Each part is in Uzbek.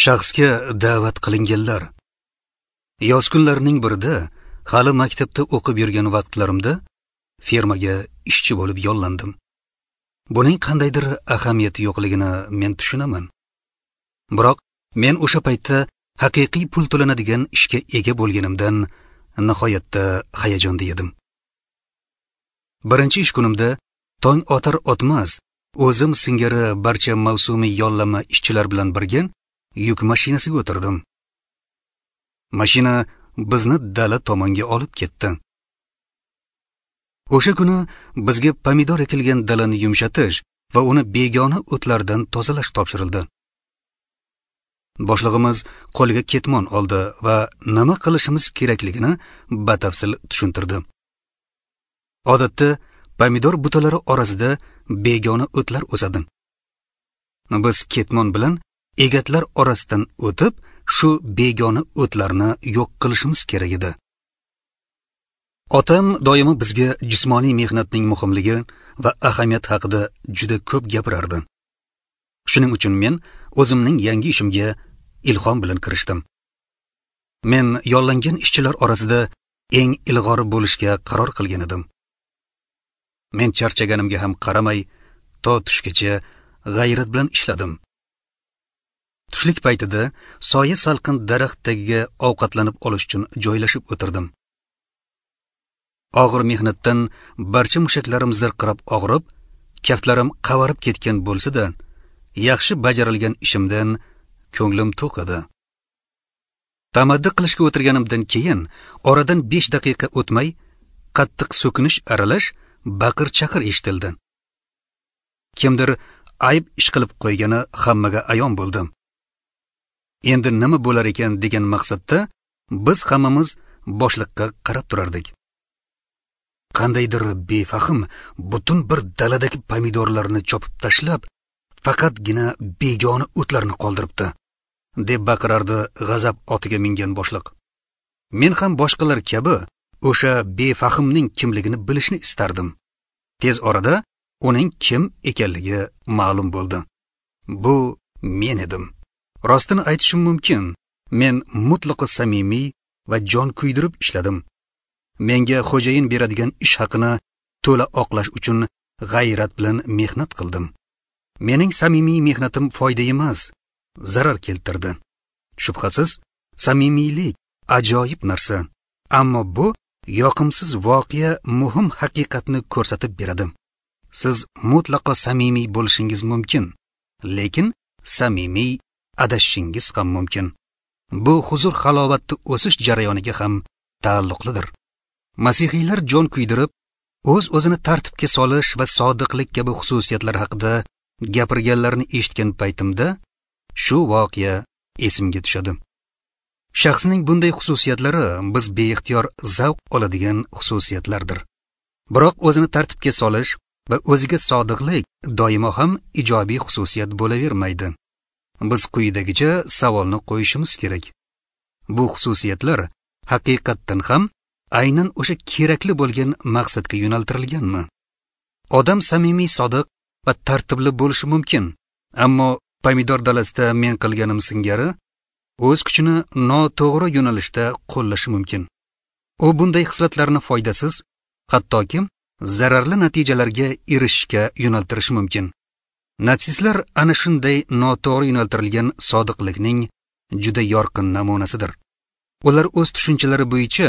Shaxsga da'vat qilinganlar. Yoz kunlarining birida, hali maktabda o'qib yurgan vaqtlarimda fermaga ishchi bo'lib yollandim. Buning qandaydir ahamiyati yo'qligini men tushunaman. Biroq men o'sha paytda haqiqiy pul to'lanadigan ishga ega bo'lganimdan nihoyatda hayajonda edim. Birinchi ish kunimda tong otar otmas o'zim singari barcha mavsumiy yollama ishchilar bilan birga yuk mashinasiga o'tirdim. Mashina bizni dala tomonga olib ketdi. O'sha kuni bizga pomidor ekilgan dalani yumshatish va uni begona o'tlardan tozalash topshirildi. Boshlig'imiz qo'liga ketmon oldi va nima qilishimiz kerakligini batafsil tushuntirdi. Odatda pomidor butalari orasida begona o'tlar o'sadi. Biz ketmon bilan egatlar orasidan o'tib, shu begona o'tlarni yo'q qilishimiz kerak edi. Otam doimo bizga jismoniy mehnatning muhimligi va ahamiyati haqida juda ko'p gapirardi. Shuning uchun men o'zimning yangi ishimga ilhom bilan kirishdim. Men yollangan ishchilar orasida eng ilg'ori bo'lishga qaror qilgan edim. Men charchaganimga ham qaramay, to tushgacha g'ayrat bilan ishladim. Tushlik paytida soya salqin daraxt tagiga ovqatlanib olish uchun joylashib o'tirdim. Og'ir mehnatdan barcha mushaklarim zirqirab og'rib, kaftlarim qavarib ketgan bo'lsa-da, yaxshi bajarilgan ishimdan ko'nglim to'q edi. Tamaddi qilishga o'tirganimdan keyin oradan 5 daqiqa o'tmay qattiq so'kinish aralash baqir-chaqir eshitildi. Kimdir ayb ish qilib qo'ygani hammaga ayon bo'ldi. Endi nima bo'lar ekan degan maqsadda biz hammamiz boshliqqa qarab turardik. Qandaydir befahm butun bir daladagi pomidorlarni chopib tashlab, faqatgina begona o'tlarni qoldiribdi, deb baqirardi g'azab otiga mingan boshliq. Men ham boshqalar kabi o'sha befahmning kimligini bilishni istardim. Tez orada uning kim ekanligi ma'lum bo'ldi. Bu men edim. Rostini aytishim mumkin, men mutlaqo samimiy va jon kuydirib ishladim. Menga xo'jayin beradigan ish haqini to'la oqlash uchun g'ayrat bilan mehnat qildim. Mening samimiy mehnatim foyda emas, zarar keltirdi. Shubhasiz, samimiylik ajoyib narsa, ammo bu yoqimsiz voqea muhim haqiqatni ko'rsatib beradi. Siz mutlaqo samimiy bo'lishingiz mumkin, lekin samimiy adashishingiz ham mumkin. Bu huzur halovatni o'sish jarayoniga ham taalluqlidir. Masihiylar jon kuydirib, o'z-o'zini tartibga solish va sodiqlik kabi xususiyatlar haqida gapirganlarini eshitgan paytimda shu voqea esimga tushadi. Shaxsning bunday xususiyatlari biz beixtiyor zavq oladigan xususiyatlardir. Biroq o'zini tartibga solish va o'ziga sodiqlik doimo ham ijobiy xususiyat bo'lavermaydi. Biz quyidagicha savolni qo'yishimiz kerak. Bu xususiyatlar haqiqatdan ham aynan o'sha kerakli bo'lgan maqsadga yo'naltirilganmi? Odam samimiy, sodiq va tartibli bo'lishi mumkin, ammo pomidor dalasida men qilganim singari o'z kuchini noto'g'ri yo'nalishda qo'llashi mumkin. U bunday xislatlarni foydasiz, hattoki zararli natijalarga erishishga yo'naltirishi mumkin. Natsistlar ana shunday noto'g'ri yo'naltirilgan sodiqlikning juda yorqin namunasidir. Ular o'z tushunchalari bo'yicha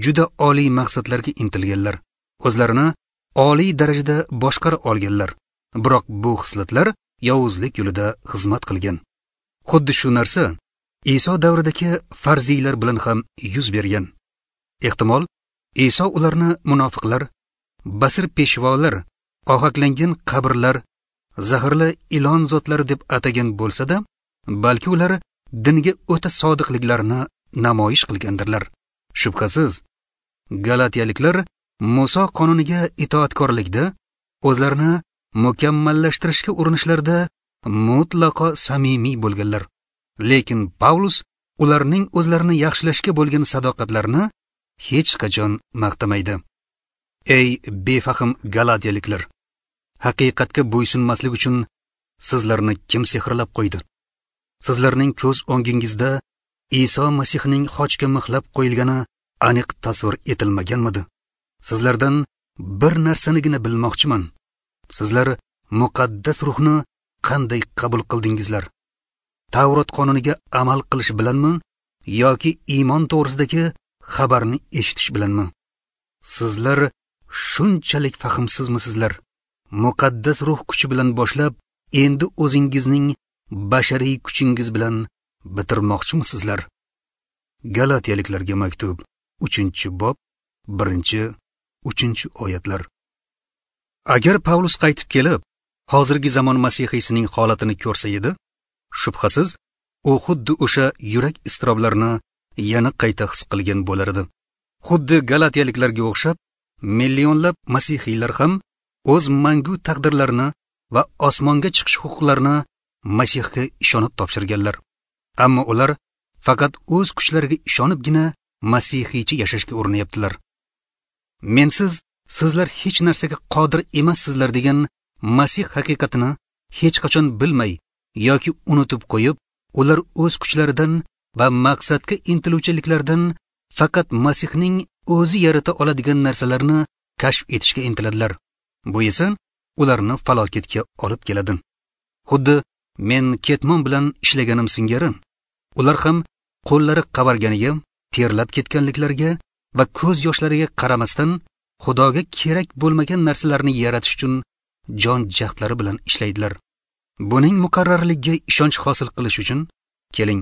juda oliy maqsadlarga intilganlar, o'zlarini oliy darajada boshqara olganlar. Biroq bu xislatlar yovuzlik yo'lida xizmat qilgan. Xuddi shu narsa Iso davridagi farziylar bilan ham yuz bergan. Ehtimol, Iso ularni munofiqlar, basir peshvolar, ohaklangan qabrlar, zaharli ilon zotlari deb atagan bo'lsa-da, balki ular dinga o'ta sodiqliklarini namoyish qilgandirlar. Shubhasiz, Galatiyaliklar Muso qonuniga itoatkorlikda, o'zlarini mukammallashtirishga urinishlarda mutlaqo samimiy bo'lganlar. Lekin Pavlus ularning o'zlarini yaxshilashga bo'lgan sadoqatlarini hech qachon maqtamaydi. Ey befahm Galatiyaliklar, haqiqatga bo'ysunmaslik uchun sizlarni kim sehrlab qo'ydi? Sizlarning ko'z o'ngingizda Iso Masihning xochga mixlab qo'yilgani aniq tasvir etilmaganmidi? Sizlardan bir narsanigina bilmoqchiman. Sizlar muqaddas ruhni qanday qabul qildingizlar? Tavrot qonuniga amal qilish bilanmi yoki iymon to'g'risidagi xabarni eshitish bilanmi? Sizlar shunchalik fahmsizmisizlar? Muqaddas ruh kuchi bilan boshlab, endi o'zingizning bashariy kuchingiz bilan bitirmoqchimisizlar? Galatiyaliklarga maktub, 3-bob, 1-3 oyatlar. Agar Pavlus qaytib kelib, hozirgi zamon masihiysining holatini ko'rsa edi, shubhasiz u xuddi o'sha yurak iztiroblarini yana qayta his qilgan bo'lar edi. Xuddi galatiyaliklarga o'xshab, millionlab masihiylar ham o'z mangu taqdirlarini va osmonga chiqish huquqlarini Masihga ishonib topshirganlar. Ammo ular faqat o'z kuchlariga ishonibgina masihiycha yashashga urinyaptilar. Mensiz sizlar hech narsaga qodir emassizlar degan Masih haqiqatini hech qachon bilmay yoki unutib qo'yib, ular o'z kuchlaridan va maqsadga intiluvchiliklardan faqat Masihning o'zi yarata oladigan narsalarni kashf etishga intiladilar. Bu esa ularni falokatga olib keladi. Xuddi men ketmon bilan ishlaganim singari, ular ham qo'llari qavarganiga, terlab ketganliklariga va ko'z yoshlariga qaramasdan Xudoga kerak bo'lmagan narsalarni yaratish uchun jon jahdlari bilan ishlaydilar. Buning muqarrarligiga ishonch hosil qilish uchun keling,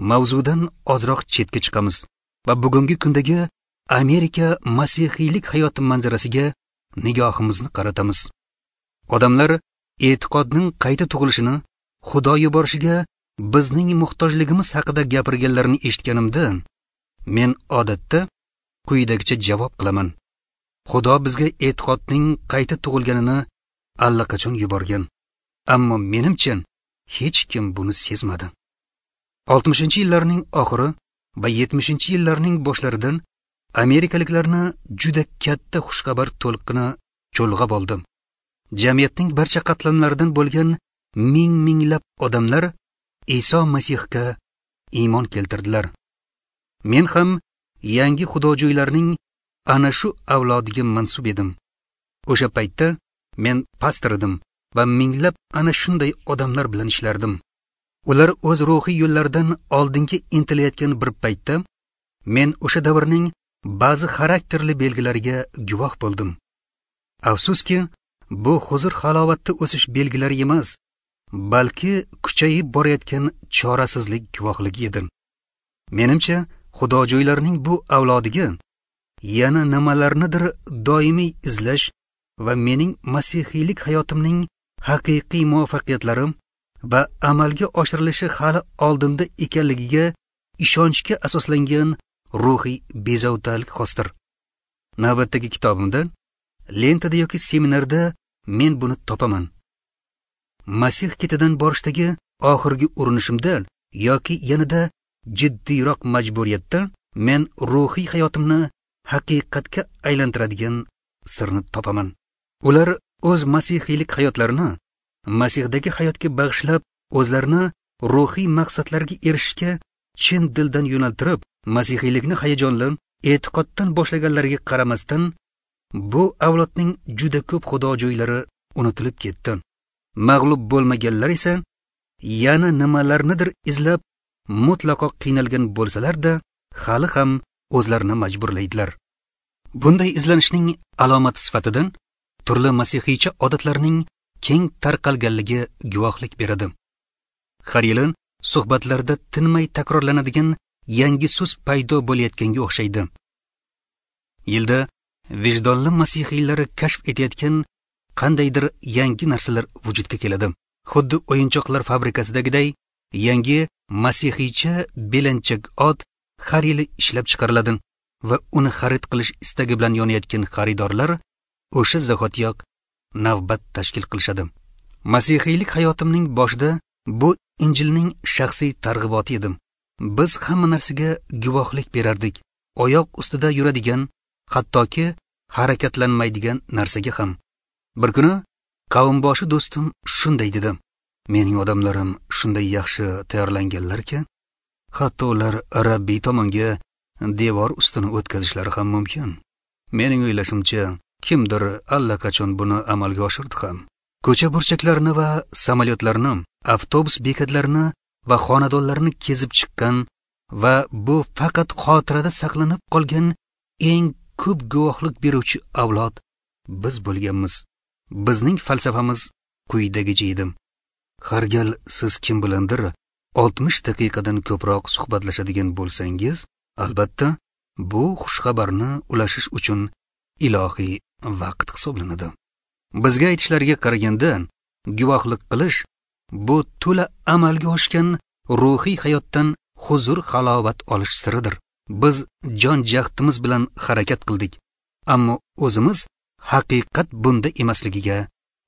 mavzudan ozroq chetga chiqamiz va bugungi kundagi Amerika masihiylik hayoti manzarasiga nigohimizni qaratamiz. Odamlar e'tiqodning qayta tug'ilishini Xudo yuborishiga bizning muhtojligimiz haqida gapirganlarini eshitganimda, men odatda quyidagicha javob qilaman. Xudo bizga e'tiqodning qayta tug'ilganini allaqachon yuborgan. Ammo menimcha hech kim buni sezmadi. 60-yillarning oxiri va 70-yillarning boshlaridan amerikaliklarni juda katta xushxabar to'lqini cho'lg'ab oldi. Jamiyatning barcha qatlamlaridan bo'lgan ming-minglab odamlar Iso Masihga iymon keltirdilar. Men ham yangi xudojo'ylarning ana shu avlodiga mansub edim. O'sha paytda men pastor edim va minglab ana shunday odamlar bilan ishlardim. Ular o'z ruhiy yo'llaridan oldinga intilayotgan bir paytda men o'sha davrning ba'zi xarakterli belgilariga guvoh bo'ldim. Afsuski, bu huzur halovatda o'sish belgilari emas, balki kuchayib borayotgan chorasizlik guvohligi edi. Menimcha, xudojo'ylarning bu avlodiga yana nimalarnidir doimiy izlash va mening masihiylik hayotimning haqiqiy muvaffaqiyatlari va amalga oshirilishi hali oldinda ekanligiga ishonchga asoslangan ruhiy bezovtalik xosdir. Navbatdagi kitobimda, lentada yoki seminarda men buni topaman. Masih ketidan borishdagi oxirgi urinishimda yoki yanada jiddiyroq majburiyatda men ruhiy hayotimni haqiqatga aylantiradigan sirni topaman. Ular o'z masihiylik hayotlarini Masihdagi hayotga bag'ishlab, o'zlarini ruhiy maqsadlarga erishishga chin dildan yo'naltirib, masihiylikni hayajonli e'tiqoddan boshlaganlariga qaramasdan, bu avlodning juda ko'p xudojo'ylari unutilib ketdi. Mag'lub bo'lmaganlar esa yana nimalarnidir izlab mutlaqo qiynalgan bo'lsalar-da, hali ham o'zlarini majburlaydilar. Bunday izlanishning alomati sifatida turli masihiycha odatlarning keng tarqalganligi guvohlik beradi. Har yili suhbatlarda tinmay takrorlanadigan yangi so'z paydo bo'layotganga o'xshaydi. Yilda vijdonli masihiylar kashf etayotgan qandaydir yangi narsalar vujudga keladi. Xuddi o'yinchoqlar fabrikasidagiday yangi masihiycha belanchak ot har yili ishlab chiqariladi va uni xarid qilish istagi bilan yonayotgan xaridorlar o'sha zahotiyoq navbat tashkil qilishadi. Masihiylik hayotimning boshida bu Injilning shaxsiy targ'iboti edi. Biz hamma narsaga guvohlik berardik. Oyoq ustida yuradigan, hattoki harakatlanmaydigan narsaga ham. Bir kuni qavmboshi do'stim shunday dedi: Mening odamlarim shunday yaxshi tayyorlanganlarki, hatto ular Rabbiy tomonga devor ustini o'tkazishlari ham mumkin. Mening o'ylashimcha, kimdir allaqachon buni amalga oshirdi ham. Ko'cha burchaklarini va samolyotlarni, avtobus bekatlarini va xonadonlarni kezib chiqqan va bu faqat xotirada saqlanib qolgan eng ko'p guvohlik beruvchi avlod biz bo'lganmiz. Bizning falsafamiz quyidagicha edi. Har gal siz kim bilandir 60 daqiqadan ko'proq suhbatlashadigan bo'lsangiz, albatta bu xushxabarni ulashish uchun ilohiy vaqt hisoblanadi. Bizga aytishlariga qaraganda, guvohlik qilish bu to'la amalga oshgan ruhiy hayotdan huzur halovat olish siridir. Biz jon jahdimiz bilan harakat qildik, ammo o'zimiz haqiqat bunda emasligiga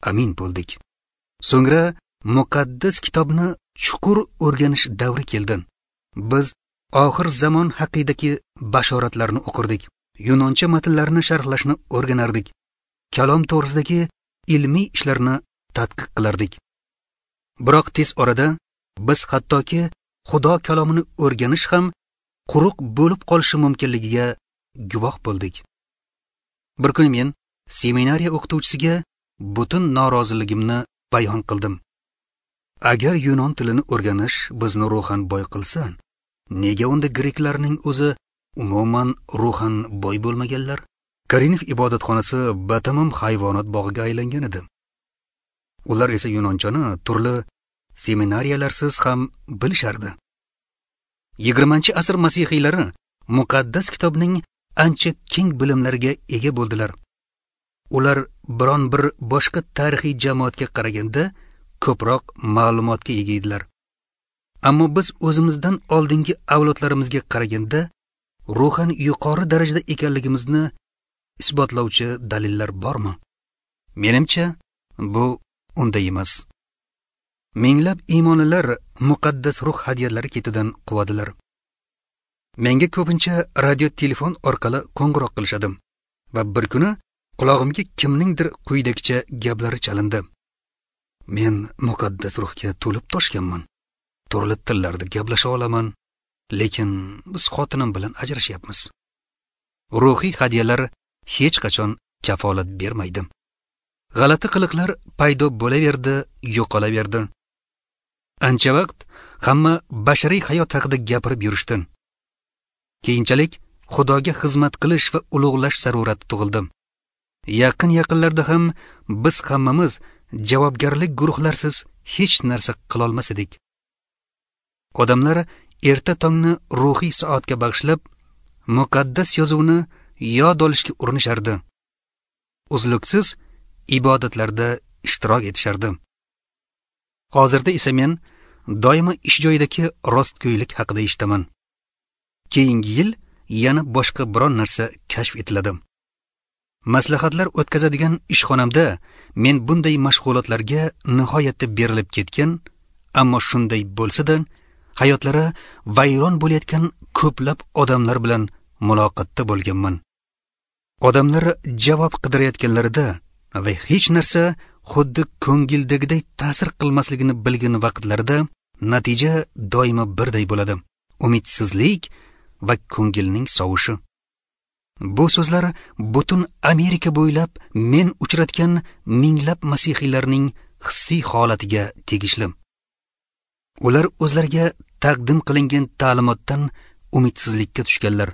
amin bo'ldik. So'ngra muqaddas kitobni chuqur o'rganish davri keldi. Biz oxir zamon haqidagi bashoratlarni o'qirdik, yunoncha matnlarni sharhlashni o'rganardik, kalom to'g'risidagi ilmiy ishlarni tadqiq qilardik. Biroq tez orada biz hattoki Xudo kalomini o'rganish ham quruq bo'lib qolishi mumkinligiga guvoh bo'ldik. Bir kuni men seminariya o'qituvchisiga butun noroziligimni bayon qildim. Agar yunon tilini o'rganish bizni ruhan boy qilsa, nega unda greklarning o'zi umuman ruhan boy bo'lmaganlar? Korinf ibodatxonasi batamom hayvonot bog'iga aylangan edi. Ular esa yunonchani turli seminariyalarsiz ham bilishardi. 20-asr masihiylari muqaddas kitobning ancha keng bilimlariga ega bo'ldilar. Ular biron bir boshqa tarixiy jamoatga qaraganda ko'proq ma'lumotga ega edilar. Ammo biz o'zimizdan oldingi avlodlarimizga qaraganda ruhan yuqori darajada ekanligimizni isbotlovchi dalillar bormi? Menimcha, bu unday emas. Minglab iymonlilar muqaddas ruh hadiyalari ketidan quvadilar. Menga ko'pincha radio telefon orqali qo'ng'iroq qilishadi va bir kuni qulog'imga kimningdir quyidagicha gaplari chalindi. Men muqaddas ruhga to'lib toshganman. Turli tillarda gaplasha olaman, lekin biz xotinim bilan ajrashyapmiz. Ruhiy hadiyalar hech qachon kafolat bermaydi. G'alati qiliqlar paydo bo'laverdi, yo'qolaverdi. Ancha vaqt hamma bashariy hayot haqida gapirib yurishdi. Keyinchalik Xudoga xizmat qilish va ulug'lash zarurati tug'ildi. Yaqin-yaqinlarda ham biz hammamiz javobgarlik guruhlarsiz hech narsa qila olmas edik. Odamlar erta tongni ruhiy soatga bag'ishlab, muqaddas yozuvni yod olishga urinishardi. Uzluksiz ibodatlarda ishtirok etishardi. Hozirda esa men doimo ish joyidagi rostgo'ylik haqida eshitaman. Keyingi yil yana boshqa biron narsa kashf etiladi. Maslahatlar o'tkazadigan ishxonamda men bunday mashg'ulotlarga nihoyatda berilib ketgan, ammo shunday bo'lsa-da hayotlari vayron bo'layotgan ko'plab odamlar bilan muloqotda bo'lganman. Odamlar javob qidirayotganlarida va hech narsa xuddi ko'ngildagiday ta'sir qilmasligini bilgan vaqtlarida natija doimo birday bo'ladi: umidsizlik va ko'ngilning sovishi. Bu so'zlar butun Amerika bo'ylab men uchratgan minglab masihiylarning hissiy holatiga tegishli. Ular o'zlariga taqdim qilingan ta'limotdan umidsizlikka tushganlar.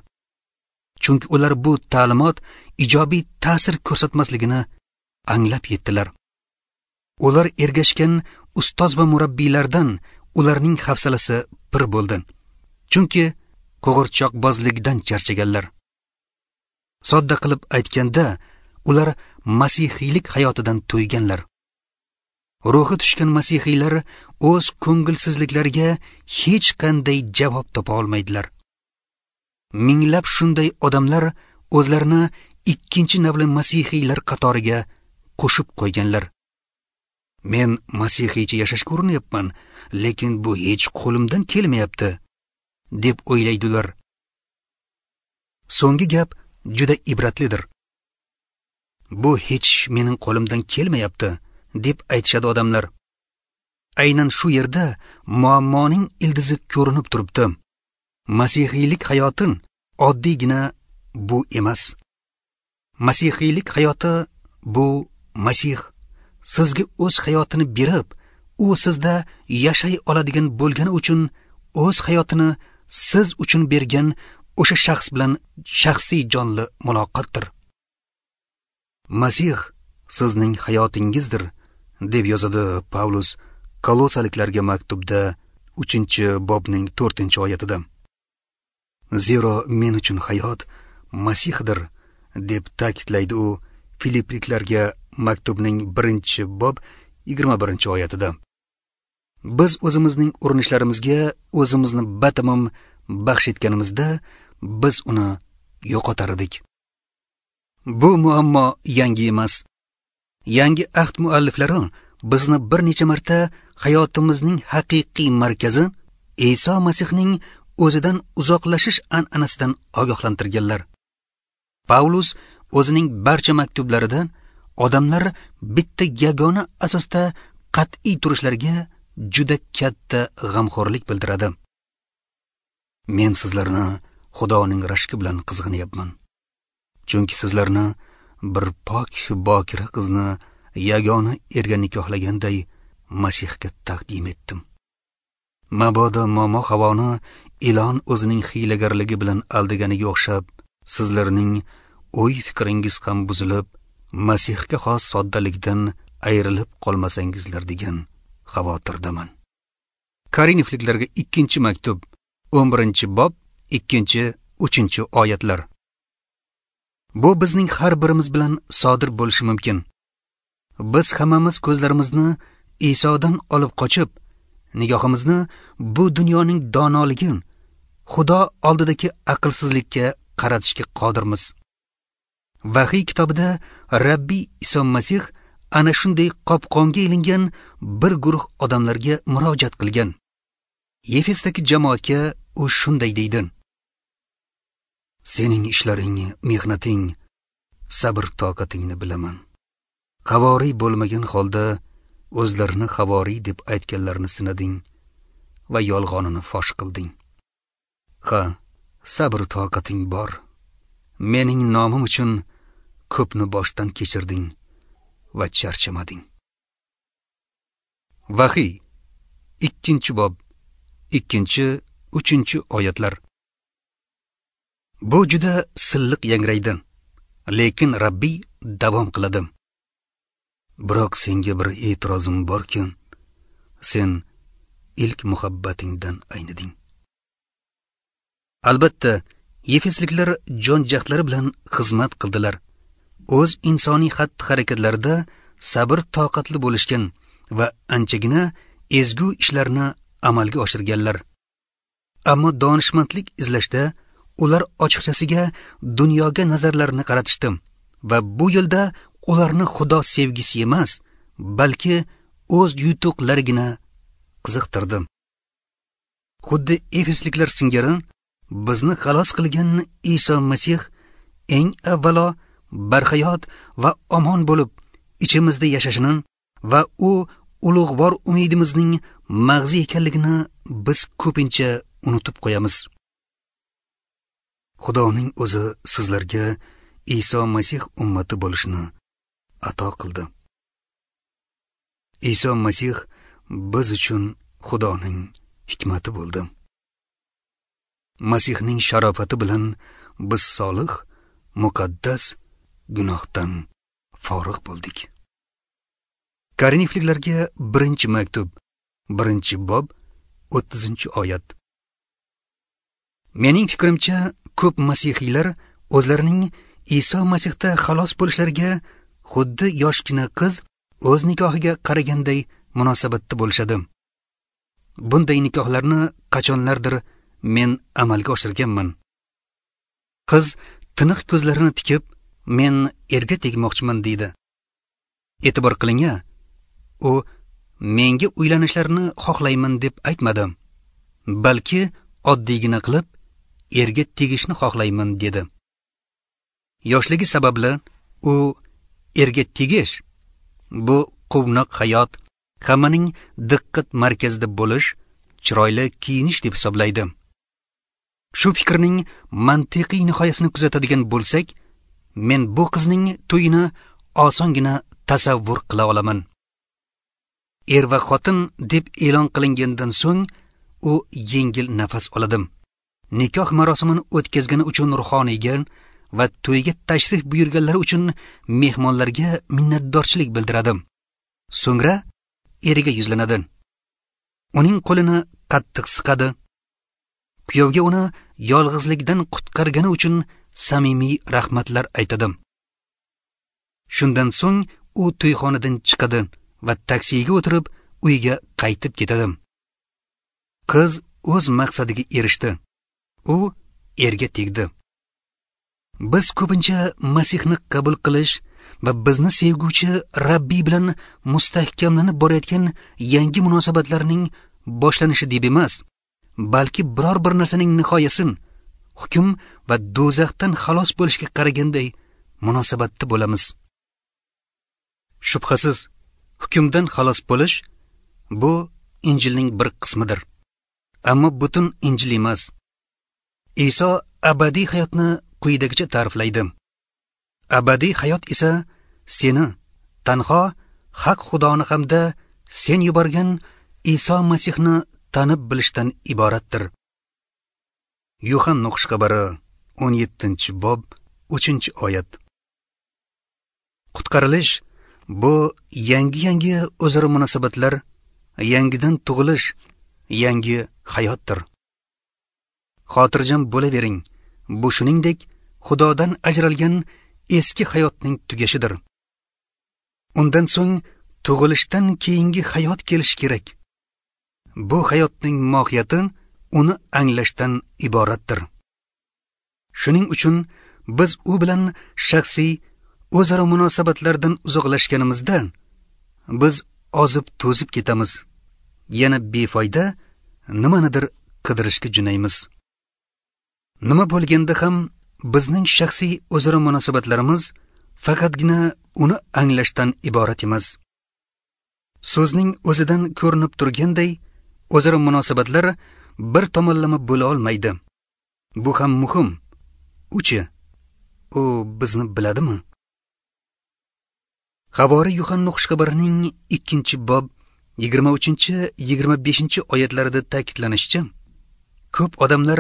Chunki ular bu ta'limot ijobiy ta'sir ko'rsatmasligini anglab yetdilar. Ular ergashgan ustoz va murabbiylardan ularning hafsalasi pir bo'ldi. Chunki qo'g'irchoqbozlikdan charchaganlar. Sodda qilib aytganda, ular masihiylik hayotidan to'yganlar. Ruhi tushgan masihiylar o'z ko'ngilsizliklariga hech qanday javob topa olmaydilar. Minglab shunday odamlar o'zlarini ikkinchi navli masihiylar qatoriga qo'shib qo'yganlar. Men masihiycha yashashga urinyapman, lekin bu hech qo'limdan kelmayapti, deb o'ylaydilar. So'nggi gap juda ibratlidir. Bu hech mening qo'limdan kelmayapti, deb aytishadi odamlar. Aynan shu yerda muammoning ildizi ko'rinib turibdi. Masihiylik hayoti oddiygina bu emas. Masihiylik hayoti bu Masih sizga o'z hayotini berib, u sizda yashay oladigan bo'lgani uchun o'z hayotini siz uchun bergan o'sha shaxs bilan shaxsiy jonli muloqotdir. Masih sizning hayotingizdir, deb yozadi Pavlus Kolosaliklarga maktubda 3-bobning 4-oyatida. Zero men uchun hayot Masihdir, deb ta'kidlaydi u Filipliklarga maktubning 1-bob 21-oyatida. Biz o'zimizning urinishlarimizga o'zimizni batamom baxsh etganimizda biz uni yo'qotar edik. Bu muammo yangi emas. Yangi ahd mualliflari bizni bir necha marta hayotimizning haqiqiy markazi Iso Masihning o'zidan uzoqlashish an'anasidan ogohlantirganlar. Pavlus o'zining barcha maktublarida odamlar bitta yagona asosda qat'iy turishlariga juda katta g'amxo'rlik bildiradi. Men sizlarni Xudoning rashki bilan qizg'anyapman. Chunki sizlarni bir pok bokira qizni yagona erga nikohlaganday Masihga taqdim etdim. Mabodo momo Havoni ilon o'zining hiylagarligi bilan aldaganiga o'xshab, sizlarning o'y-fikringiz ham buzilib, Masihga xos soddalikdan ayrilib qolmasangizlar degan xavotirdaman. Korinfliklarga 2-maktub, 11-bob, 2-3 oyatlar. Bu bizning har birimiz bilan sodir bo'lishi mumkin. Biz hammamiz ko'zlarimizni Isodan olib qochib, nigohimizni bu dunyoning donoligi, Xudo oldidagi aqlsizlikka qaratishga qodirmiz. Vahiy kitobida Rabbiy Iso Masih ana shunday qopqonga ilingan bir guruh odamlarga murojaat qilgan. Efesdagi jamoatga u shunday deydi: Sening ishlaring, mehnating, sabr toqatingni bilaman. Havoriy bo'lmagan holda o'zlarini havoriy deb aytganlarni sinading va yolg'onini fosh qilding. Ha, sabr toqating bor. Mening nomim uchun ko'pni boshdan kechirding va charchamading. Vahiy 2-bob 2-3 oyatlar. Bu juda silliq yangraydi, lekin Rabbiy davom qiladi. Biroq senga bir e'tirozim borki, sen ilk muhabbatingdan ayniding. Albatta, Efesliklar jon jahdlari bilan xizmat qildilar. O'z insoniy xatti-harakatlarida sabr toqatli bo'lishgan va anchagina ezgu ishlarni amalga oshirganlar. Ammo donishmandlik izlashda ular ochiqchasiga dunyoga nazarlarini qaratishdi va bu yo'lda ularni Xudo sevgisi emas, balki o'z yutuqlarigina qiziqtirdi. Xuddi Efesliklar singari bizni xalos qilgan Iso Masih eng avvalo barhayot va omon bo'lib ichimizda yashashini va u ulug'vor umidimizning mag'zi ekanligini biz ko'pincha unutib qo'yamiz. Xudoning o'zi sizlarga Iso Masih ummati bo'lishni ato qildi. Iso Masih biz uchun Xudoning hikmati bo'ldi. Masihning sharofati bilan biz solih, muqaddas, gunohdan forig' bo'ldik. Korinfliklarga 1-maktub, 1-bob, 30-oyat. Mening fikrimcha, ko'p masihiylar o'zlarining Iso Masihda xalos bo'lishlariga xuddi yoshgina qiz o'z nikohiga qaraganday munosabatda bo'lishadi. Bunday nikohlarni qachonlardir men amalga oshirganman. Qiz tiniq ko'zlarini tikib, men erga tegmoqchiman deydi. E'tibor qiling-a, u menga uylanishlarini xohlayman deb aytmadi, balki oddiygina qilib erga tegishni xohlayman dedi. Yoshligi sababli u erga tegish bu quvnoq hayot, Hammaning diqqat markazida bo'lish, chiroyli kiyinish deb hisoblaydi. Shu fikrning mantiqiy nihoyasini kuzatadigan bo'lsak, men bu qizning to'yini osongina tasavvur qila olaman. Er va xotin deb e'lon qilingandan so'ng u yengil nafas oladi. Nikoh marosimini o'tkazgani uchun ruhoniyga va to'yga tashrif buyurganlar uchun mehmonlarga minnatdorchilik bildiradi. So'ngra eriga yuzlanadi. Uning qo'lini qattiq siqadi. Kuyovga uni yolg'izlikdan qutqargani uchun samimiy rahmatlar aytadi. Shundan so'ng u to'yxonadan chiqadi va taksiga o'tirib uyga qaytib ketadi. Qiz o'z maqsadiga erishdi. U erga tegdi. Biz ko'pincha Masihni qabul qilish va bizni sevguvchi Rabbiy bilan mustahkamlanib borayotgan yangi munosabatlarning boshlanishi deb emas, balki biror bir narsaning nihoyasini, hukm va do'zaxdan xalos bo'lishga qaraganday munosabatda bo'lamiz. Shubhasiz, hukmdan xalos bo'lish bu Injilning bir qismidir. Ammo butun Injil emas. Iso abadiy hayotni quyidagicha ta'riflaydi. Abadiy hayot esa seni, tanho haq Xudoni hamda sen yuborgan Iso Masihni tanib bilishdan iboratdir. Yuhanna xushxabari 17-bob 3-oyat. Qutqarilish bu yangi o'zaro munosabatlar, yangidan tug'ilish, yangi hayotdir. Xotirjam bo'lavering. Bu shuningdek Xudodan ajralgan eski hayotning tugashidir. Undan so'ng tug'ilishdan keyingi hayot kelishi kerak. Bu hayotning mohiyati uni anglashdan iboratdir. Shuning uchun biz u bilan shaxsiy o'zaro munosabatlardan uzoqlashganimizda biz ozib to'zib ketamiz. Yana befoyda nimanidir qidirishga jo'naymiz. Nima bo'lganda ham bizning shaxsiy o'zaro munosabatlarimiz faqatgina uni anglashdan iborat emas. So'zning o'zidan ko'rinib turganday, o'zaro munosabatlar bir tomonlama bo'la olmaydi. Bu ham muhim. Uchi, u bizni biladimi? Havori Yuhanna xushxabarining 2-bob 23-25 oyatlarida ta'kidlanishicha, ko'p odamlar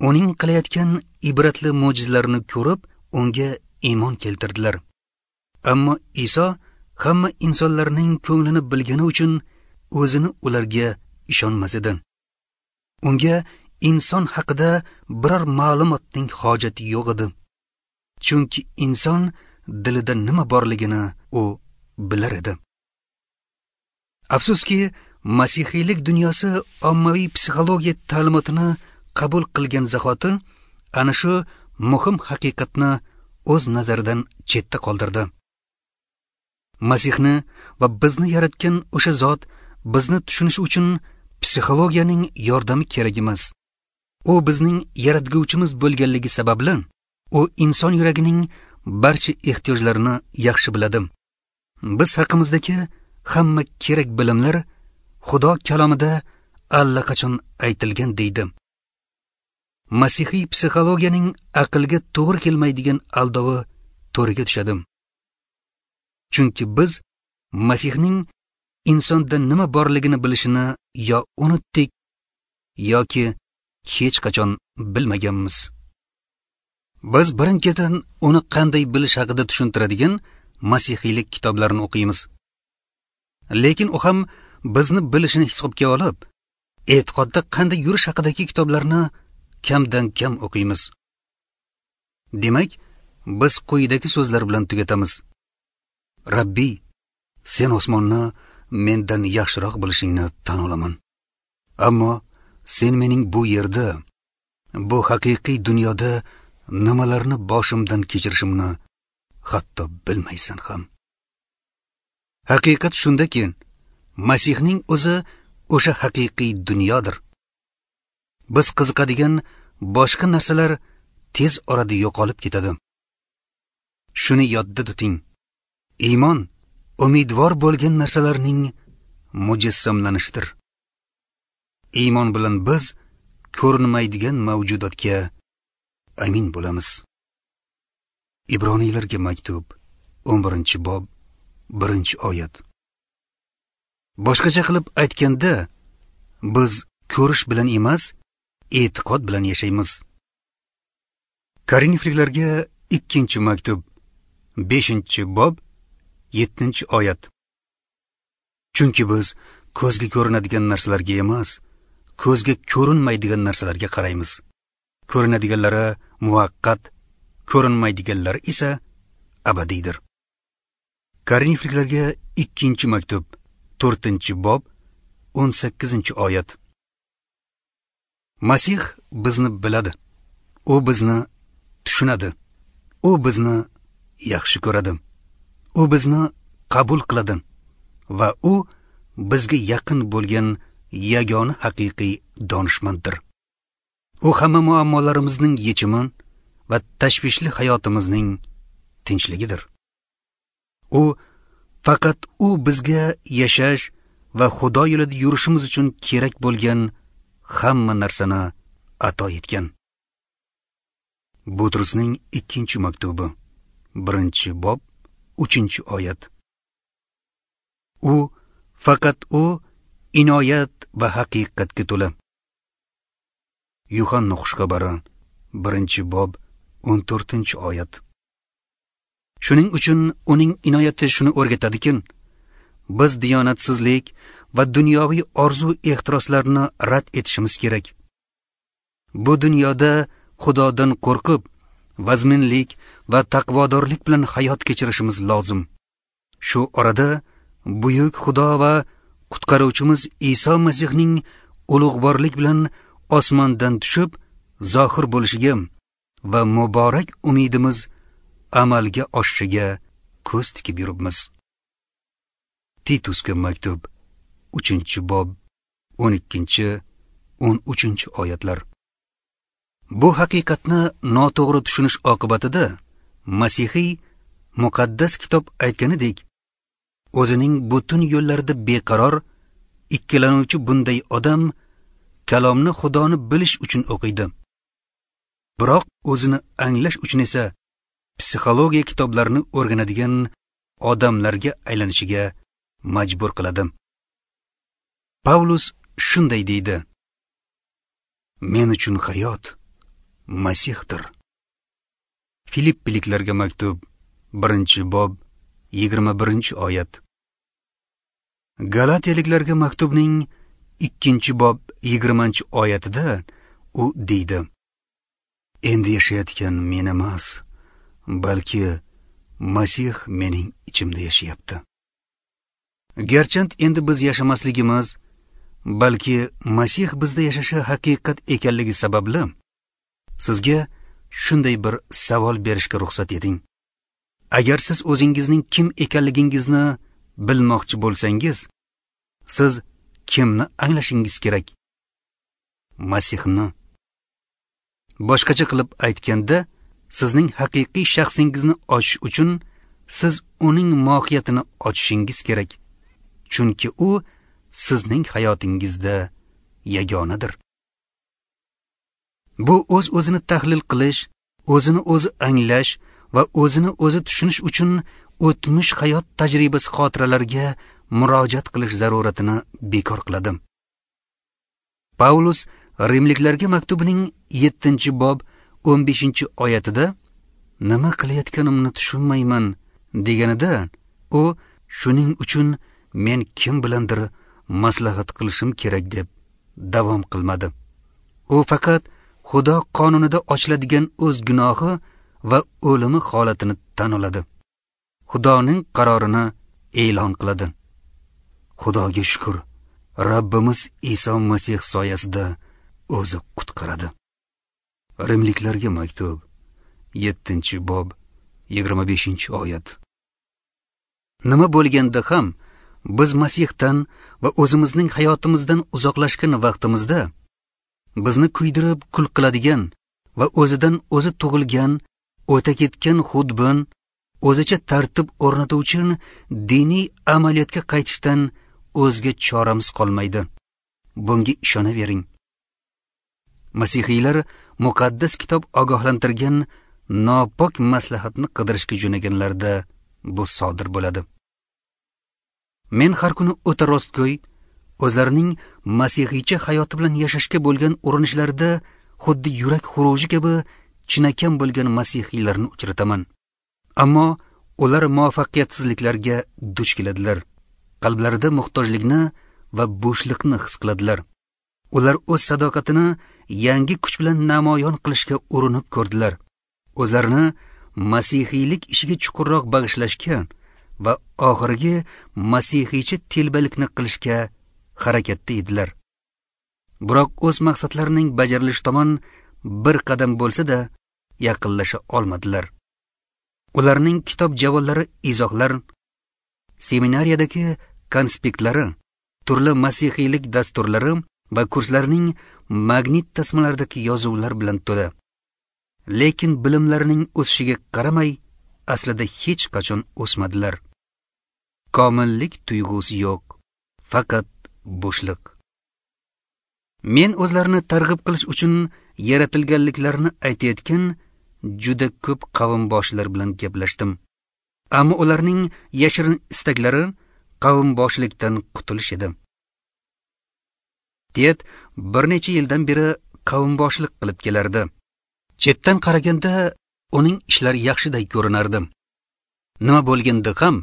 uning qilayotgan ibratli mo'jizalarini ko'rib, unga iymon keltirdilar. Ammo Iso hamma insonlarning ko'nglini bilgani uchun o'zini ularga ishonmas edi. Unga inson haqida biror ma'lumotning hojati yo'q edi. Chunki inson dilida nima borligini u bilar edi. Afsuski, masihiylik dunyosi ommaviy psixologiya ta'limotini qabul qilgan zahoti ana shu muhim haqiqatni o'z nazaridan chetda qoldirdi. Masihni va bizni yaratgan o'sha zot bizni tushunish uchun psixologiyaning yordami kerak emas. U bizning yaratguvchimiz bo'lganligi sababli u inson yuragining barcha ehtiyojlarini yaxshi biladi. Biz haqimizdagi hamma kerak bilimlar Xudo kalomida allaqachon aytilgan deydi. Masihiy psixologiyaning aqlga to'g'ri kelmaydigan aldovi to'riga tushadi. Chunki biz Masihning insonda nima borligini bilishini yo unutdik yoki hech qachon bilmaganmiz. Biz birin-ketin uni qanday bilish haqida tushuntiradigan masihiylik kitoblarini o'qiymiz. Lekin u ham bizni bilishini hisobga olib, e'tiqodda qanday yurish haqidagi kitoblarni kamdan kam o'qiymiz. Demak, biz quyidagi so'zlar bilan tugatamiz. Rabbiy, sen osmonni mendan yaxshiroq bilishingni tan olaman. Ammo sen mening bu yerda, bu haqiqiy dunyoda nimalarni boshimdan kechirishimni hatto bilmaysan ham. Haqiqat shundaki, Masihning o'zi o'sha haqiqiy dunyodir. Biz qiziqadigan boshqa narsalar tez orada yo'qolib ketadi. Shuni yodda tuting. Iymon umidvor bo'lgan narsalarning mujassamlanishdir. Iymon bilan biz ko'rinmaydigan mavjudotga amin bo'lamiz. Ibroniylarga maktub, 11-bob, 1-oyat. Boshqacha qilib aytganda, biz ko'rish bilan emas, e'tiqod bilan yashaymiz. Korinfliklarga 2-maktub, 5-bob, 7-oyat. Chunki biz ko'zga ko'rinadigan narsalarga emas, ko'zga ko'rinmaydigan narsalarga qaraymiz. Ko'rinadiganlari muvaqqat, ko'rinmaydiganlari esa abadiydir. Korinfliklarga 2-maktub, 4-bob, 18-oyat. Masih bizni biladi. U bizni tushunadi. U bizni yaxshi ko'radi. U bizni qabul qiladi va u bizga yaqin bo'lgan yagona haqiqiy donishmanddir. U hamma muammolarimizning yechimi va tashvishli hayotimizning tinchligidir. U faqat u bizga yashash va Xudo yo'lida yurishimiz uchun kerak bo'lgan hamma narsani ato etgan. Butrusning 2-maktubi, 1-bob, 3-oyat. U faqat u inoyat va haqiqatga to'la. Yuhanna xushxabari, 1-bob, 14-oyat. Shuning uchun uning inoyati shuni o'rgatadiki, biz diyonatsizlik va dunyoviy orzu ehtiroslarni rad etishimiz kerak. Bu dunyoda Xudodan qo'rqib, vazminlik va taqvodorlik bilan hayot kechirishimiz lozim. Shu orada buyuk Xudo va qutqaruvchimiz Iso Masihning ulug'vorlik bilan osmondan tushib zohir bo'lishiga va muborak umidimiz amalga oshishiga ko'z tikib yuribmiz. Titusga maktub, 3-bob, 12-13 oyatlar. Bu haqiqatni noto'g'ri tushunish oqibatida masihiy muqaddas kitob aytganidek, o'zining butun yo'llarida beqaror, ikkilanuvchi bunday odam kalomni Xudoni bilish uchun o'qiydi. Biroq o'zini anglash uchun esa psixologiya kitoblarini o'rganadigan odamlarga aylanishiga majbur qiladi. Pavlus shunday deydi: Men uchun hayot Masihdir. Filippiliklarga maktub, 1-bob, 21-oyat. Galatiyaliklarga maktubning 2-bob, 20-oyatida u deydi: Endi yashayotgan men emas, balki Masih mening ichimda yashayapti. Garchand endi biz yashamasligimiz, balki Masih bizda yashashi haqiqat ekanligi sababli sizga shunday bir savol berishga ruxsat eting. Agar siz o'zingizning kim ekanligingizni bilmoqchi bo'lsangiz, siz kimni anglashingiz kerak? Masihni. Boshqacha qilib aytganda, sizning haqiqiy shaxsingizni ochish uchun siz uning mohiyatini ochishingiz kerak. Chunki u sizning hayotingizda yagonadir. Bu o'z-o'zini tahlil qilish, o'zini o'zi anglash va o'zini o'zi tushunish uchun o'tmish hayot tajribasi xotiralariga murojaat qilish zaruratini bekor qiladi. Paulus Rimliklarga maktubining 7-bob 15-oyatida nima qilayotganimni tushunmayman deganida, u shuning uchun men kim bilandir maslahat qilishim kerak deb davom qilmadi. U faqat Xudo qonunida ochiladigan o'z gunohi va o'limi holatini tan oladi. Xudoning qarorini e'lon qiladi. Xudoga shukr, Rabbimiz Iso Masih soyasida o'zi qutqaradi. Rimliklarga maktub, 7-bob, 25-oyat. Nima bo'lganda ham biz Masihdan va o'zimizning hayotimizdan uzoqlashgan vaqtimizda bizni kuydirib kul qiladigan va o'zidan o'zi tug'ilgan, o'ta ketgan xudbin, o'zicha tartib o'rnatuvchi diniy amaliyotga qaytishdan o'zga choramiz qolmaydi. Bunga ishonavering. Masihiylar muqaddas kitob ogohlantirgan nopok maslahatni qidirishga jo'naganlarida bu sodir bo'ladi. Men har kuni o'ta rostgo'y, o'zlarining masihiycha hayoti bilan yashashga bo'lgan urinishlarida xuddi yurak xuruji kabi chinakam bo'lgan masihiylarni uchrataman. Ammo ular muvaffaqiyatsizliklarga duch keladilar. Qalblarida muhtojlikni va bo'shliqni his qiladilar. Ular o'z sadoqatini yangi kuch bilan namoyon qilishga urinib ko'rdilar. O'zlarini masihiylik ishiga chuqurroq bag'ishlashga va oxirgi masihiycha telbalikni qilishga harakatda edilar. Biroq o'z maqsadlarining bajarilishi tomon bir qadam bo'lsa-da yaqinlasha olmadilar. Ularning kitob javollari, izohlar, seminariyadagi konspektlari, turli masihiylik dasturlari va kurslarning magnit tasmalaridagi yozuvlar bilan to'la. Lekin bilimlarining o'sishiga qaramay, aslida hech qachon o'smadilar. Komillik tuyg'usi yo'q, faqat bo'shliq. Men o'zlarini targ'ib qilish uchun yaratilganliklarini aytayotgan juda ko'p qavmboshlar bilan gaplashdim. Ammo ularning yashirin istaklari qavmboshlikdan qutulish edi. Ted bir necha yildan beri qavmboshlik qilib kelardi. Chetdan qaraganda uning ishlari yaxshiday ko'rinardi. Nima bo'lganda ham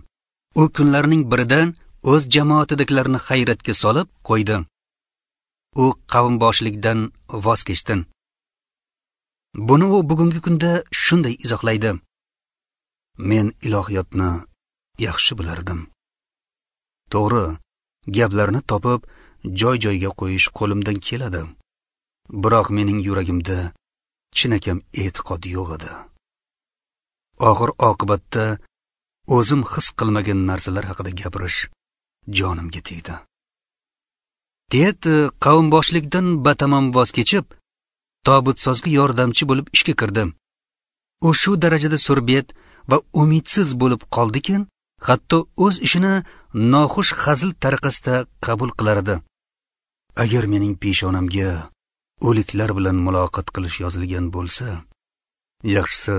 u kunlarning birida o'z jamoatidagilarni hayratga solib qo'ydi. U qavmboshlikdan voz kechdi. Buni u bugungi kunda shunday izohlaydi: Men ilohiyotni yaxshi bilardim. To'g'ri, gaplarni topib joy-joyga qo'yish qo'limdan keladi. Biroq mening yuragimda chinakam e'tiqod yo'q edi. Oxir oqibatda o'zim his qilmagan narsalar haqida gapirish jonimga tegdi. Ted qavmboshlikdan batamom voz kechib, tobutsozga yordamchi bo'lib ishga kirdi. U shu darajada surbet va umidsiz bo'lib qoldiki, hatto o'z ishini noxush hazil tariqasida qabul qilar edi. Agar mening peshonamga o'liklar bilan muloqot qilish yozilgan bo'lsa, yaxshisi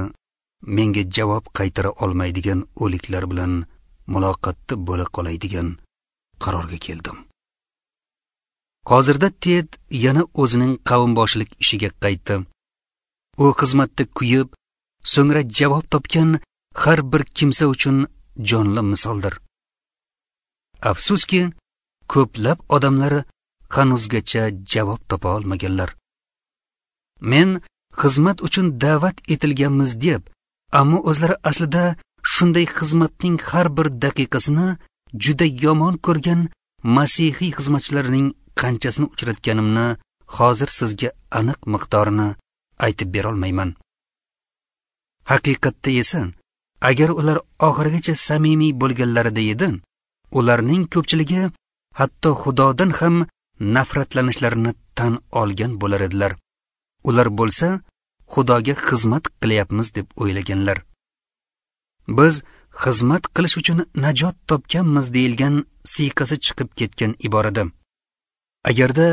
menga javob qaytara olmaydigan o'liklar bilan muloqotda bo'la qolaydigan qarorga keldim. Hozirda Ted yana o'zining qavmboshlik ishiga qaytdi. U xizmatda kuyib, so'ngra javob topgan har bir kimsa uchun jonli misoldir. Afsuski, ko'plab odamlar hanuzgacha javob topa olmaganlar. Men xizmat uchun da'vat etilganmiz deb, ammo o'zlari aslida shunday xizmatning har bir daqiqasini juda yomon ko'rgan masihiy xizmatchilarning qanchasini uchratganimni hozir sizga aniq miqdorini aytib bera olmayman. Haqiqatda esa, agar ular oxirigacha samimiy bo'lganlarida edi, ularning ko'pchiligi hatto Xudodan ham nafratlanishlarini tan olgan bo'lar edilar. Ular bo'lsa, Xudoga xizmat qilyapmiz deb o'ylaganlar. Biz xizmat qilish uchun najot topganmiz deyilgan siyqasi chiqib ketgan iborada. Agarda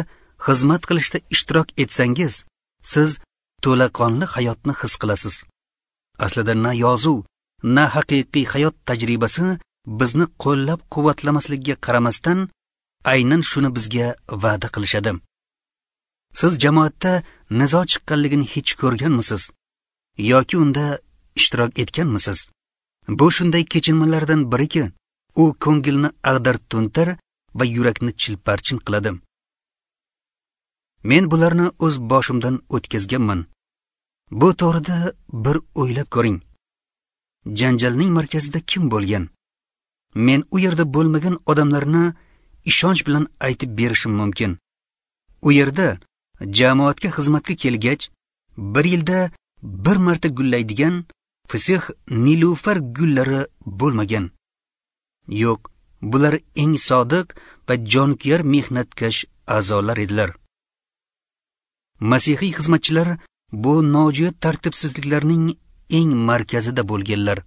xizmat qilishda ishtirok etsangiz, siz to'laqonli hayotni his qilasiz. Aslida na yozuv, na haqiqiy hayot tajribasi bizni qo'llab-quvvatlamasligiga qaramasdan, aynan shuni bizga va'da qilishadi. Siz jamoatda nizo chiqqanligini hech ko'rganmisiz yoki unda ishtirok etganmisiz? Bu shunday kechinmalardan biriki, u ko'ngilni ag'dar-to'ntar va yurakni chilparchin qiladi. Men bularni o'z boshimdan o'tkazganman. Bu to'g'rida bir o'ylab ko'ring. Janjalning markazida kim bo'lgan? Men u yerda bo'lmagan odamlarni ishonch bilan aytib berishim mumkin. U yerda jamoatga xizmatga kelgach, bir yilda bir marta gullaydigan fisih nilufar gullari bo'lmagan. Yo'q, bular eng sodiq va jonkuyar mehnatkash a'zolar edilar. Masihiy xizmatchilar bu nojo'ya tartibsizliklarning eng markazida bo'lganlar.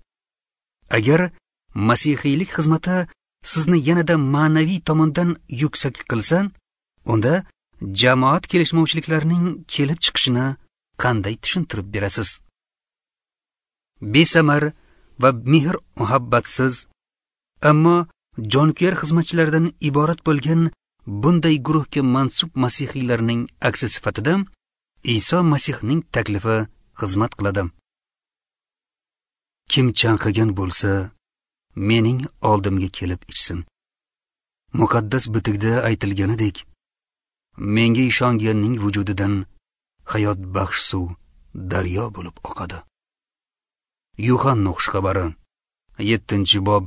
Agar masihiylik xizmati sizni yanada ma'naviy tomondan yuksak qilsa, unda jamoat kelishmovchiliklarining kelib chiqishini qanday tushuntirib berasiz? Besamar va mehr muhabbatsiz, ammo jonkuyar xizmatchilardan iborat bo'lgan bunday guruhga mansub masihiylarning aksi sifatida Iso Masihning taklifi xizmat qiladi. Kim chanqagan bo'lsa, mening oldimga kelib ichsin. Muqaddas bitikda aytilganidek, menga ishonganning vujudidan hayot baxsh suv daryo bo'lib oqadi. Yuhanna xushxabari 7-bob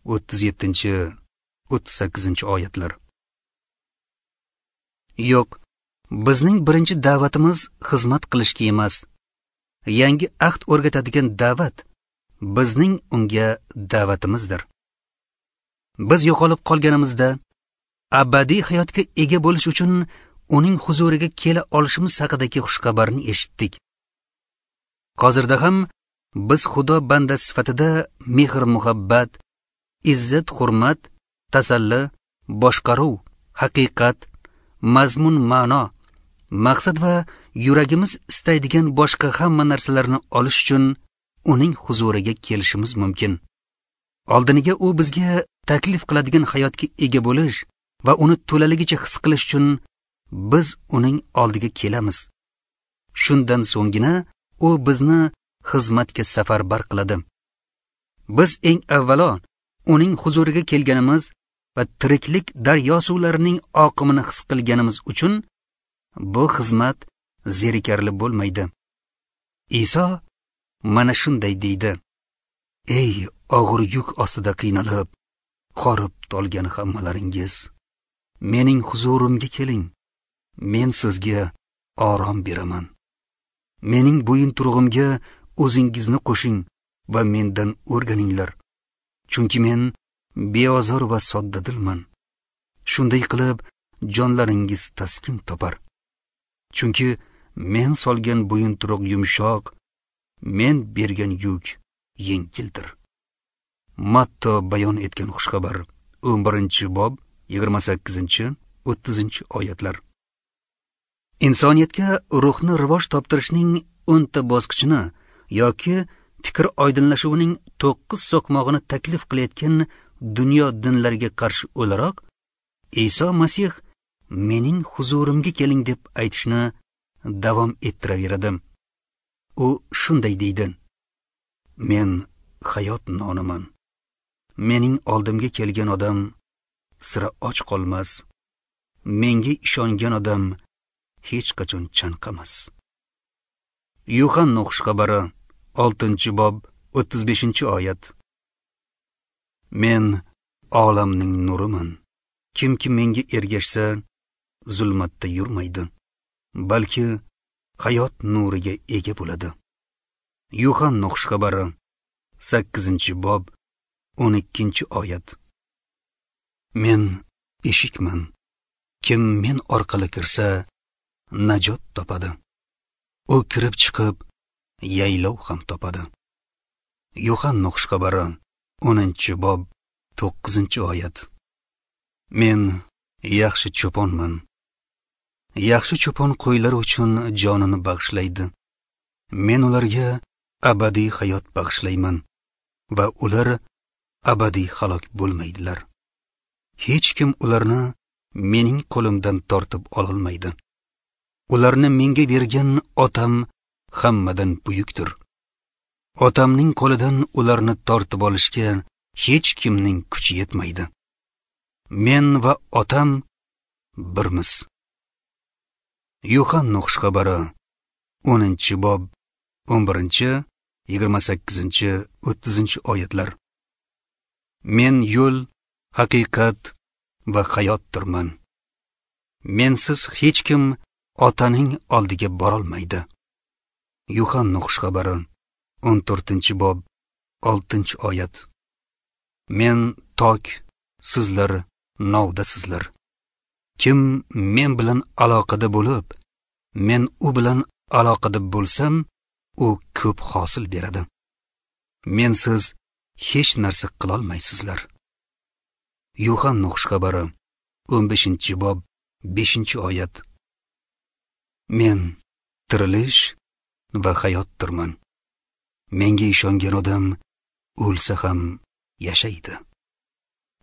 37-38 oyatlar. Yo'q, bizning birinchi da'vatimiz xizmat qilishga emas. Yangi ahd o'rgatadigan da'vat bizning unga da'vatimizdir. Biz yo'qolib qolganimizda abadiy hayotga ega bo'lish uchun uning huzuriga kela olishimiz haqidagi xushxabarni eshitdik. Hozirda ham biz Xudo bandasi sifatida mehr-muhabbat, izzat-hurmat, tasalli, boshqaruv, haqiqat, mazmun-ma'no, maqsad va yuragimiz istaydigan boshqa hamma narsalarni olish uchun uning huzuriga kelishimiz mumkin. Oldiniga u bizga taklif qiladigan hayotga ega bo'lish va uni to'laligicha his qilish uchun biz uning oldiga kelamiz. Shundan so'nggina u bizni xizmatga safarbar qiladi. Biz eng avvalo uning huzuriga kelganimiz va tiriklik daryo suvlarining oqimini his qilganimiz uchun bu xizmat zerikarli bo'lmaydi. Iso mana shunday deydi: Ey og'ir yuk ostida qiynalib, horib tolgan hammalaringiz, mening huzurimga keling. Men sizga orom beraman. Mening bo'yinturug'imga o'zingizni qo'shing va mendan o'rganinglar. Chunki men beozor va soddadilman. Shunday qilib jonlaringiz taskin topar. Chunki men solgan bo'yinturuq yumshoq, men bergan yuk yengildir. Matto bayon etgan xushxabar 11-bob 28-30 oyatlar. Insoniyatga ruhni rivoj toptirishning 10 ta bosqichini yoki fikr oydinlashuvining 9 so'qmog'ini taklif qilayotgan dunyo dinlariga qarshi o'laroq Iso Masih mening huzurimga keling deb aytishni davom ettiraveradi. U shunday deydi: Men hayot noniman. Mening oldimga kelgan odam sira och qolmas. Menga ishongan odam hech qachon chanqamas. Yuhanna xushxabari 6-bob 35-oyat. Men olamning nuriman. Kimki menga ergashsa, zulmatda yurmaydi, balki hayot nuriga ega bo'ladi. Yuhanna xushxabari 8-bob 12-oyat. Men eshikman. Kim men orqali kirsa, najot topadi. U kirib chiqib, yaylov ham topadi. Yuhanna xushxabari 10-bob 9-oyat. Men yaxshi cho'ponman. Yaxshi cho'pon qo'ylar uchun jonini bag'ishlaydi. Men ularga abadiy hayot bag'ishlayman va ular abadiy halok bo'lmaydilar. Hech kim ularni mening qo'limdan tortib ololmaydi. Ularni menga bergan Otam hammadan buyukdir. Otamning qo'lidan ularni tortib olishga hech kimning kuchi yetmaydi. Men va Otam birmiz. Yuhanna xushxabari 10-bob 11, 28, 30 oyatlar. Men yo'l, haqiqat va hayotdirman. Mensiz hech kim Otaning oldiga borolmaydi. Yuhanna xushxabari 14-bob 6-oyat. Men tok, sizlar novdasizlar. Kim men bilan aloqada bo'lib, men u bilan aloqada bo'lsam, u ko'p hosil beradi. Mensiz hech narsa qilolmaysizlar. Yuhanna xushxabari 15-bob 5-oyat. Men tirilish va hayotdirman. Menga ishongan odam o'lsa ham yashaydi.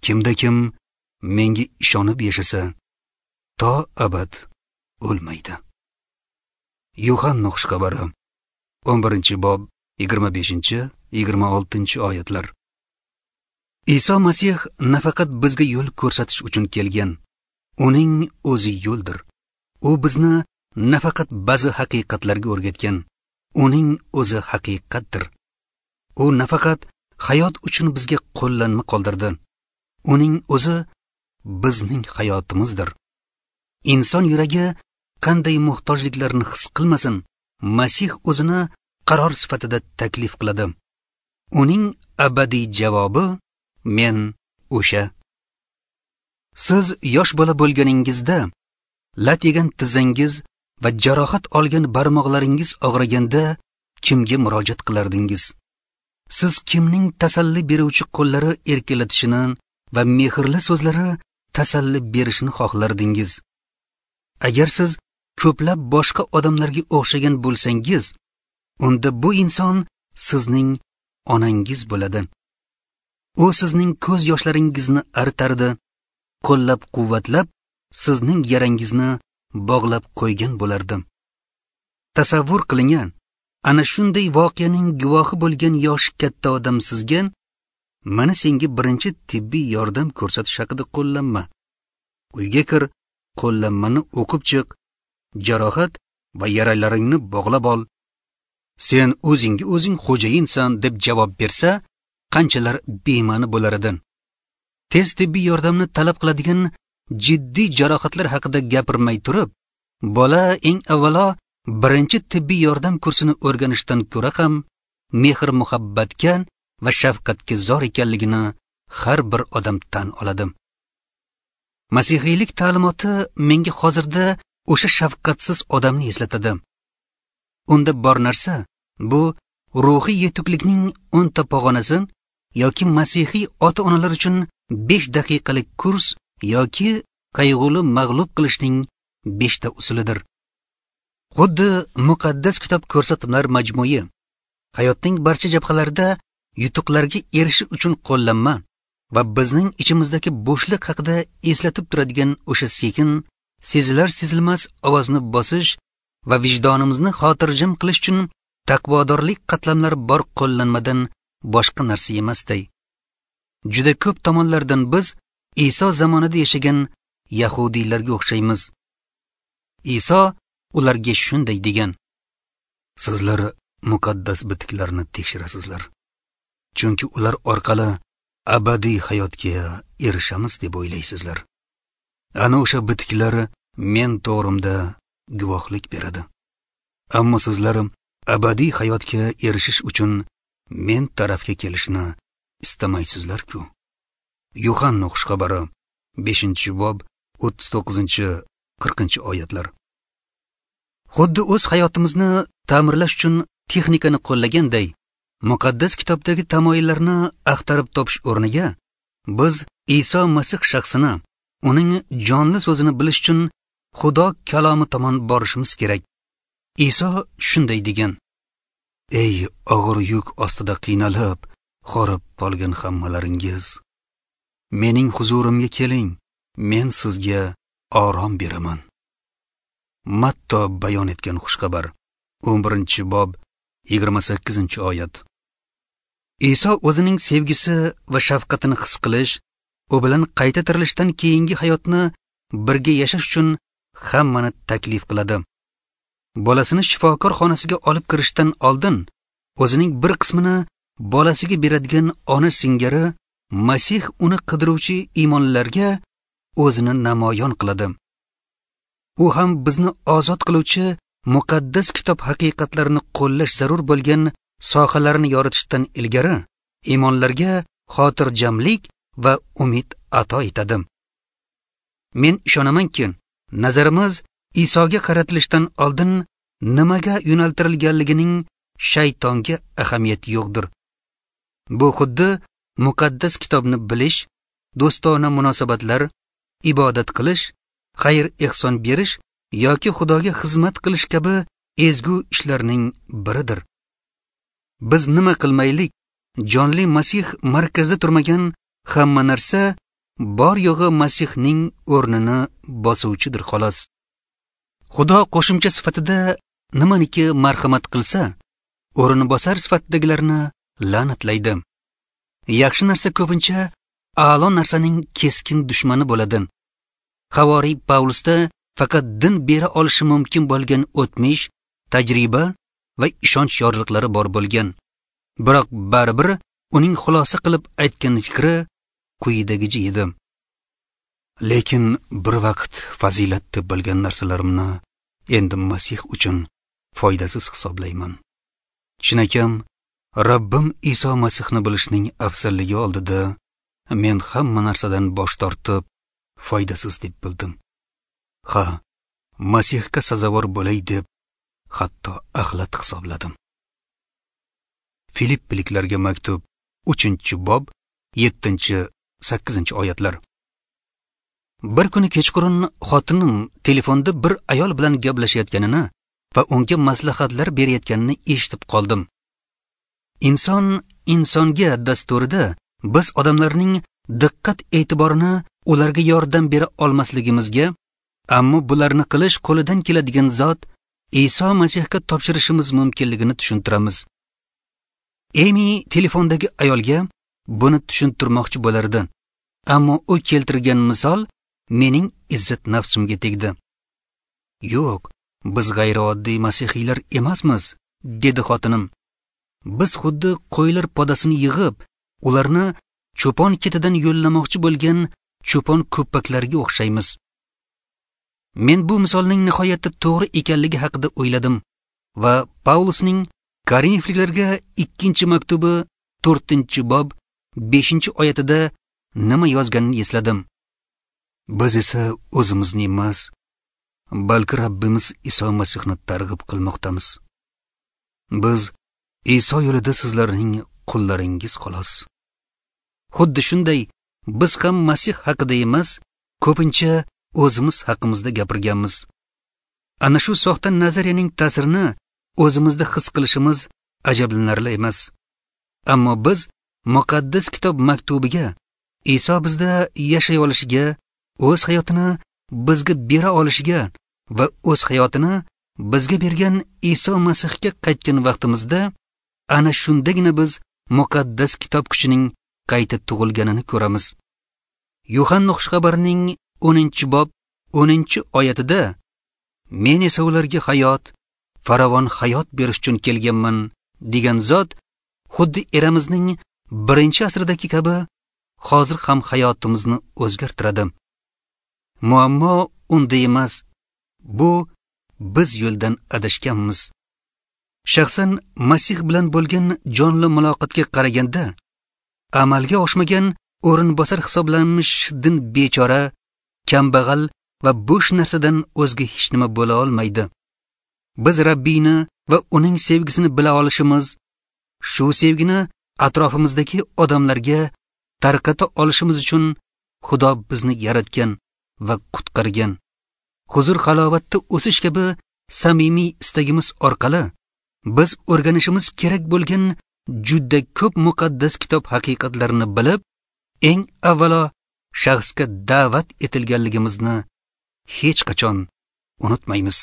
Kimda kim menga ishonib yashasa, to abad o'lmaydi. Yuhanna xushxabari 11-bob 25-26 oyatlar. Iso Masih nafaqat bizga yo'l ko'rsatish uchun kelgan, uning o'zi yo'ldir. U bizni nafaqat ba'zi haqiqatlarga o'rgatgan, uning o'zi haqiqatdir. U nafaqat hayot uchun bizga qo'llanma qoldirdi, uning o'zi bizning hayotimizdir. Inson yuragi qanday muhtojliklarni his qilmasin, Masih o'zini qaror sifatida taklif qiladi. Uning abadiy javobi men o'sha. Siz yosh bola bo'lganingizda lat yegan tizzangiz va jarohat olgan barmoqlaringiz og'riganda kimga murojaat qilardingiz? Siz kimning tasalli beruvchi qo'llari erkalatishini va mehrli so'zlari tasalli berishini xohlardingiz? Agar siz ko'plab boshqa odamlarga o'xshagan bo'lsangiz, unda bu inson sizning onangiz bo'ladi. U sizning ko'z yoshlaringizni artardi, qo'llab-quvvatlab sizning yarangizni bog'lab qo'ygan bo'lardi. Tasavvur qiling, ana shunday voqeaning guvohi bo'lgan yoshi katta odam sizga mana senga birinchi tibbiy yordam ko'rsatish haqida qo'llanma. Uyga kir, qo'llanmani o'qib chiq, jarohat va yaralaringni bog'lab ol. Sen o'zingga o'zing xo'jayinsan deb javob bersa, qanchalar bema'ni bo'lar edi. Tez tibbiy yordamni talab qiladigan jiddiy jarohatlar haqida gapirmay turib, bola eng avvalo birinchi tibbiy yordam kursini o'rganishdan ko'ra ham mehr muhabbatga va shafqatga zor ekanligini har bir odam tan oladi. Masihiylik ta'limoti menga hozirda o'sha shafqatsiz odamni eslatadi. Unda bor narsa bu ruhiy yetuklikning 10 ta pog'onasi yoki masihiy ota-onalar uchun 5 daqiqalik kurs yoki qayg'uli mag'lub qilishning 5 ta usulidir. Xuddi muqaddas kitob ko'rsatmalar majmui hayotning barcha jabhalarida yutuqlarga erishish uchun qo'llanma va bizning ichimizdagi bo'shliq haqida eslatib turadigan o'sha sekin, sezilar sezilmas ovozni bosish va vijdonimizni xotirjam qilish uchun taqvodorlik qatlamlari bor qo'llanmadan boshqa narsa emasday. Juda ko'p tomonlardan biz Iso zamonida yashagan yahudiylarga o'xshaymiz. Iso ularga shunday degan: Sizlar muqaddas bitiklarni tekshirasizlar, chunki ular orqali abadiy hayotga erishamiz deb o'ylaysizlar. Ana o'sha bitiklar men to'g'rimda guvohlik beradi. Ammo sizlar abadiy hayotga erishish uchun men tarafga kelishni istamaysizlar-ku. Yuhanna xushxabari 5-bob 39-40 oyatlar. Xuddi o'z hayotimizni ta'mirlash uchun texnikani qo'llaganday, muqaddas kitobdagi tamoyillarni axtarib topish o'rniga biz Iso Masih shaxsini, uning jonli so'zini bilish uchun Xudo kalomi tomon borishimiz kerak. Iso shunday degan: Ey og'ir yuk ostida qiynalib, horib qolgan hammalaringiz, mening huzurimga keling, men sizga orom beraman. Matto bayon etgan xushxabar 11-bob 28-oyat. Iso o'zining sevgisi va shafqatini his qilish, u bilan qayta tirilishdan keyingi hayotni birga yashash uchun hammani taklif qiladi. Bolasini shifokor xonasiga olib kirishdan oldin o'zining bir qismini bolasiga beradigan ona singari Masih uni qidiruvchi iymonlarga o'zini namoyon qiladi. U ham bizni ozod qiluvchi muqaddas kitob haqiqatlarini qo'llash zarur bo'lgan sohalarni yoritishdan ilgari iymonlarga xotirjamlik va umid ato etadi. Men ishonamanki, nazarimiz Isoga qaratilishdan oldin nimaga yo'naltirilganligining shaytonga ahamiyati yo'qdir. Bu xuddi muqaddas kitobni bilish do'stona munosabatlar, ibodat qilish, xayr-ehson berish yoki Xudoga xizmat qilish kabi ezgu ishlarning biridir. Biz nima qilmaylik, jonli Masih markazda turmagan hamma narsa bor yo'g'i Masihning o'rnini bosuvchidir xolos. Xudo qo'shimcha sifatida nimaniki marhamat qilsa, o'rni bosar sifatdagilarni la'natlaydi. Yaxshi narsa ko'pincha a'lo narsaning keskin dushmani bo'ladi. Havoriy Pavlusda faqat din bera olishi mumkin bo'lgan o'tmish, tajriba va ishonch yorliqlari bor bo'lgan. Biroq baribir uning xulosa qilib aytgan fikri quyidagicha edi: lekin bir vaqt fazilat deb bilgan narsalarimni endi Masih uchun foydasiz hisoblayman. Chinakam, Rabbim Iso Masihni bilishning afzalligi oldida men hamma narsadan bosh tortib foydasiz deb bildim. Ha, Masihga sazovor bo'lay deb hatto axlat hisobladim. Filippiliklarga maktub 3-bob 7-8 oyatlar. Bir kuni kechqurun xotinim telefonda bir ayol bilan gaplashayotganini va unga maslahatlar berayotganini eshitib qoldim. Inson insonga dasturida biz odamlarning diqqat e'tiborini ularga yordam bera olmasligimizga, ammo bularni qilish qo'lidan keladigan zot Iso Masihga topshirishimiz mumkinligini tushuntiramiz. Emi telefondagi ayolga buni tushuntirmoqchi bo'lardi, ammo u keltirgan misol mening izzat nafsimga tegdi. Yo'q, biz g'ayrioddiy masihiylar emasmiz, dedi xotinim. Biz xuddi qo'ylar podasini yig'ib, ularni cho'pon ketidan yo'llamoqchi bo'lgan cho'pon ko'paklarga o'xshaymiz. Men bu misolning nihoyatda to'g'ri ekanligi haqida o'yladim va Pavlusning Korinfliklarga 2-maktubi 4-bob 5-oyatida nima yozganini esladim. Biz esa o'zimizni emas, balki Rabbimiz Iso Masihni targ'ib qilmoqdamiz. Biz Iso yo'lida sizlarning qullaringiz xolos. Xuddi shunday biz ham Masih haqida emas, ko'pincha o'zimiz haqimizda gapirganmiz. Ana shu soxta nazariyaning ta'sirini o'zimizda his qilishimiz ajablanarli emas. Ammo biz muqaddas kitob maktubiga Iso bizda yashay olishiga, o'z hayotini bizga bera olishiga va o'z hayotini bizga bergan Iso Masihga qaytgan vaqtimizda ana shundagina biz muqaddas kitob kuchining qayta tug'ilganini ko'ramiz. Yuhanna xushxabarining 10-bob 10-oyatida men esa ularga hayot, farovon hayot berish uchun kelganman degan zot xuddi eramizning 1-asridagi kabi hozir ham hayotimizni o'zgartiradi. Muammo unda emas, bu biz yo'ldan adashganmiz. Shaxsan Masih bilan bo'lgan jonli muloqotga qaraganda amalga oshmagan o'rinbosar hisoblanmish din bechora, kambag'al va bo'sh narsadan o'zga hech nima bo'la olmaydi. Biz Rabbiyni va uning sevgisini bila olishimiz, shu sevgini atrofimizdagi odamlarga tarqata olishimiz uchun Xudo bizni yaratgan va qutqargan. Huzur halovatda o'sish kabi samimiy istagimiz orqali biz o'rganishimiz kerak bo'lgan juda ko'p muqaddas kitob haqiqatlarini bilib, eng avvalo shaxsga da'vat etilganligimizni hech qachon unutmaymiz.